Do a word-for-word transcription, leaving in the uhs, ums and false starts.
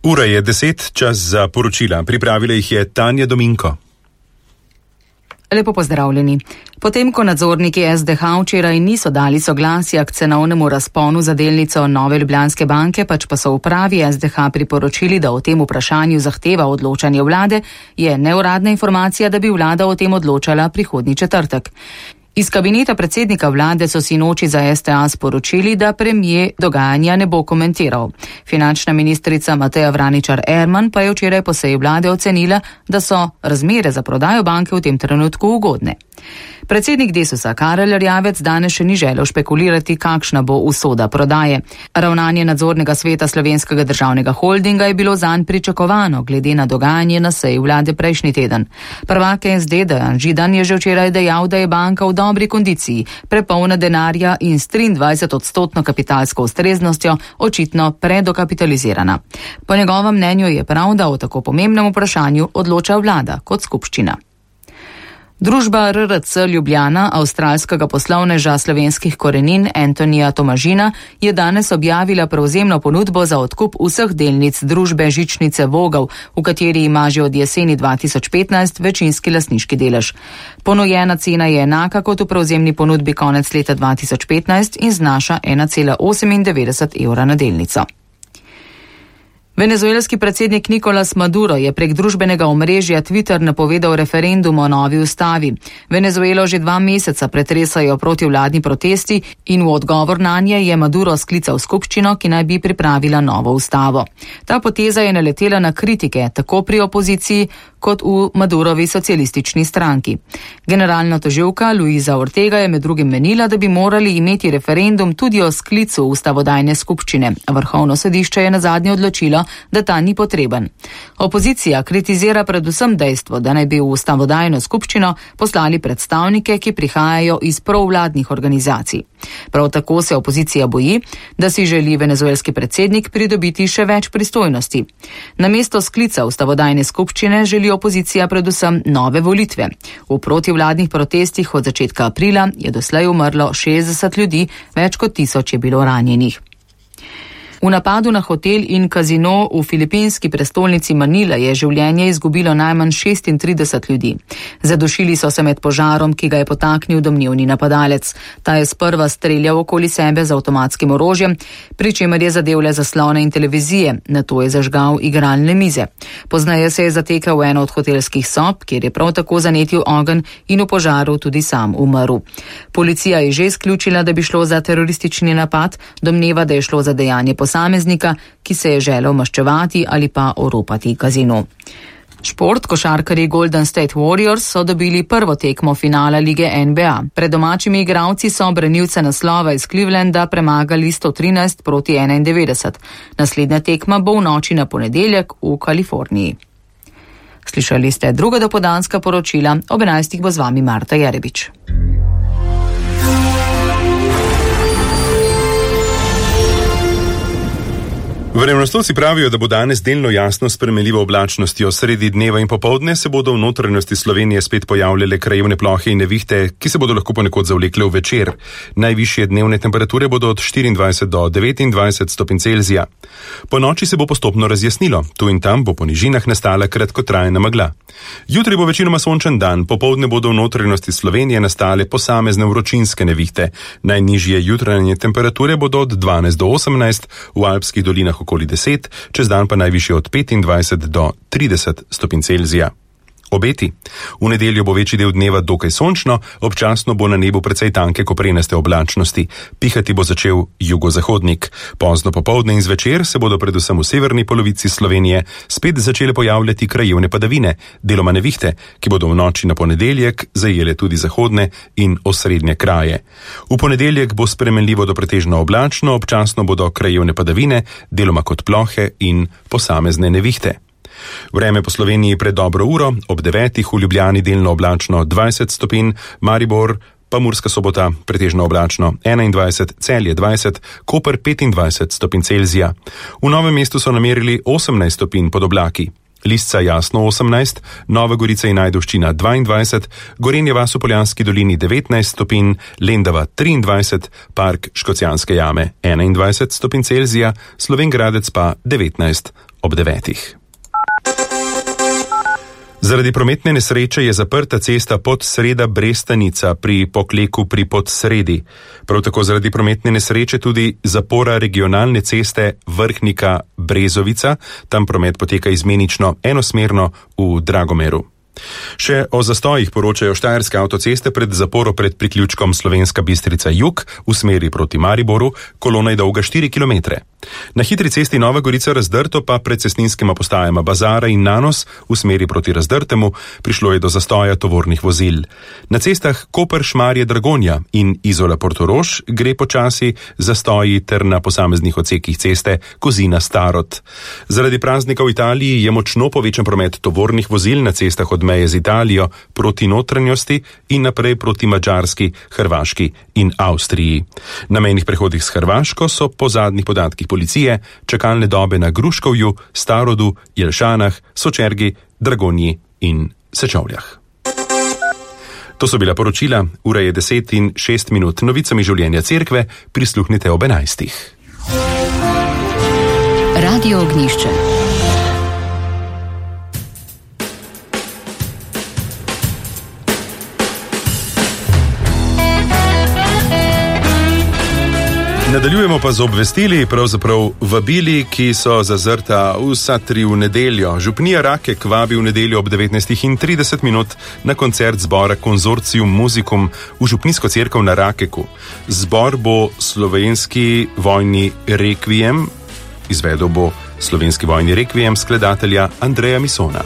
Ura je deset, čas za poročila. Pripravila jih je Tanja Dominko. Lepo pozdravljeni. Potem, ko nadzorniki S D H včeraj niso dali soglasja k cenovnemu razponu za delnico Nove Ljubljanske banke, pač pa so upravi S D H priporočili, da o tem vprašanju zahteva odločanje vlade, je neuradna informacija, da bi vlada o tem odločala prihodnji četrtek. Iz kabineta predsednika vlade so sinoči za S T A sporočili, da premier dogajanja ne bo komentiral. Finančna ministrica Mateja Vraničar Erman pa je včeraj po seji vlade ocenila, da so razmere za prodajo banke v tem trenutku ugodne. Predsednik Desusa Karel Erjavec danes še ni želel špekulirati, kakšna bo usoda prodaje. Ravnanje nadzornega sveta Slovenskega državnega holdinga je bilo zanj pričakovano, glede na dogajanje na seji vlade prejšnji teden. Prvak S D Dejan Židan je že včeraj dejal, da je banka v dobri kondiciji, prepolna denarja in s triindvajset odstotno kapitalsko ustreznostjo očitno predokapitalizirana. Po njegovem mnenju je prav, da o tako pomembnem vprašanju odloča vlada kot skupščina. Družba R R C Ljubljana, avstralskega poslovneža slovenskih korenin Antonija Tomažina, je danes objavila prevzemno ponudbo za odkup vseh delnic družbe Žičnice Vogel, v kateri ima že od jeseni dva tisoč petnajst večinski lastniški delež. Ponujena cena je enaka kot v prevzemni ponudbi konec leta dva tisoč petnajst in znaša ena cela osemindevetdeset evra na delnico. Venezuelski predsednik Nicolas Maduro je prek družbenega omrežja Twitter napovedal referendum o novi ustavi. Venezuelo že dva meseca pretresajo protivladni protesti in v odgovor nanje je Maduro sklical skupščino, ki naj bi pripravila novo ustavo. Ta poteza je naletela na kritike tako pri opoziciji kot v Madurovi socialistični stranki. Generalna tožilka Luisa Ortega je med drugim menila, da bi morali imeti referendum tudi o sklicu ustavodajne skupščine. Vrhovno sodišče je nazadnje odločilo, da ta ni potreben. Opozicija kritizira predvsem dejstvo, da naj bi v ustavodajno skupščino poslali predstavnike, ki prihajajo iz provladnih organizacij. Prav tako se opozicija boji, da si želi venezuelski predsednik pridobiti še več pristojnosti. Namesto sklica ustavodajne skupščine želi opozicija predvsem nove volitve. V protivladnih protestih od začetka aprila je doslej umrlo šestdeset ljudi, več kot tisoč je bilo ranjenih. V napadu na hotel in kazino v filipinski prestolnici Manila je življenje izgubilo najmanj šestintrideset ljudi. Zadušili so se med požarom, ki ga je potaknil domnevni napadalec. Ta je sprva streljal okoli sebe z avtomatskim orožjem, pri čemer je zadel le zaslone in televizije, nato je zažgal igralne mize. Pozneje se je zatekel v eno od hotelskih sob, kjer je prav tako zanetil ogenj in v požaru tudi sam umrl. Policija je že izključila, da bi šlo za teroristični napad, domneva, da je šlo za dejanje posameznika, posameznika, ki se je želel maščevati ali pa oropati kazino. Šport, košarkarji Golden State Warriors so dobili prvo tekmo finala lige N B A. Pred domačimi igralci so branilce naslova iz Clevelanda premagali sto trinajst proti enaindevetdeset. Naslednja tekma bo v noči na ponedeljek v Kaliforniji. Slišali ste druga dopoldanska poročila, ob enajstih bo z vami Marta Jerebič. Vremenoslovci pravijo, da bo danes delno jasno s spremenljivo oblačnostjo. Sredi dneva in popoldne se bodo v notranjosti Slovenije spet pojavljale krajevne plohe in nevihte, ki se bodo lahko ponekod zavlekle v večer. Najvišje dnevne temperature bodo od štiriindvajset do devetindvajset stopinj Celzija. Po noči se bo postopno razjasnilo. Tu in tam bo po nižinah nastala kratkotrajna megla. Jutri bo večinoma sončen dan, popoldne bodo v notranjosti Slovenije nastale posamezne vročinske nevihte. Najnižje jutranje temperature bodo od dvanajst do osemnajst, v alpskih dolinah okoli deset, čez dan pa najvišje od petindvajset do trideset stopinj Celzija. Obeti. V nedeljo bo večji del dneva dokaj sončno, občasno bo na nebu precej tanke koprenaste oblačnosti. Pihati bo začel jugozahodnik. Pozno popoldne in zvečer se bodo predvsem v severni polovici Slovenije spet začele pojavljati krajevne padavine, deloma nevihte, ki bodo v noči na ponedeljek zajele tudi zahodne in osrednje kraje. V ponedeljek bo spremenljivo do pretežno oblačno, občasno bodo krajevne padavine, deloma kot plohe in posamezne nevihte. Vreme po Sloveniji pred dobro uro, ob devetih v Ljubljani delno oblačno dvajset stopinj, Maribor pa Murska Sobota pretežno oblačno enaindvajset, Celje dvajset, Koper petindvajset stopinj Celzija. V Novem mestu so namerili osemnajst stopinj pod oblaki. Lisca jasno osemnajst, Nova Gorica in Ajdovščina dvaindvajset, Gorenje vas v Poljanski dolini devetnajst stopinj, Lendava triindvajset, Park Škocjanske jame enaindvajset stopinj Celzija, Slovenj Gradec pa devetnajst. ob devetih. Zaradi prometne nesreče je zaprta cesta Podsreda-Brestanica pri Pokleku pri Podsredi. Prav tako zaradi prometne nesreče tudi zapora regionalne ceste Vrhnika-Brezovica, tam promet poteka izmenično enosmerno v Dragomeru. Še o zastojih poročajo štajerske avtoceste pred zaporo pred priključkom Slovenska Bistrica Jug v smeri proti Mariboru, kolona je dolga štiri kilometre. Na hitri cesti Nova Gorica-Razdrto pa pred cestninskima postajama Bazara in Nanos v smeri proti Razdrtemu prišlo je do zastoja tovornih vozil. Na cestah Koper-Šmarje-Dragonja in Izola-Portorož gre počasi zastoji ter na posameznih odsekih ceste Kozina-Starod. Zaradi praznika v Italiji je močno povečan promet tovornih vozil na cestah od meje z Italijo proti notranjosti in naprej proti Madžarski, Hrvaški in Avstriji. Na mejnih prehodih s Hrvaško so po zadnjih podatkih policije čakalne dobe na Gruškovju, Starodu, Jelšanah, Sočergi, Dragonji in Sečovljah. To so bila poročila, ura je deset in šest minut. Novicami življenja cerkve prisluhnite ob enajstih. Radio Ognjišče. Nadaljujemo pa z obvestili, pravzaprav vabili, ki so zazrta vsa tri v nedeljo. Župnija Rakek vabi v nedeljo ob devetnajstih in trideset minut na koncert zbora Konzorcium Musicum v župnijsko cerkev na Rakeku. Zbor bo slovenski vojni rekviem, izvedel bo slovenski vojni rekviem skladatelja Andreja Misona.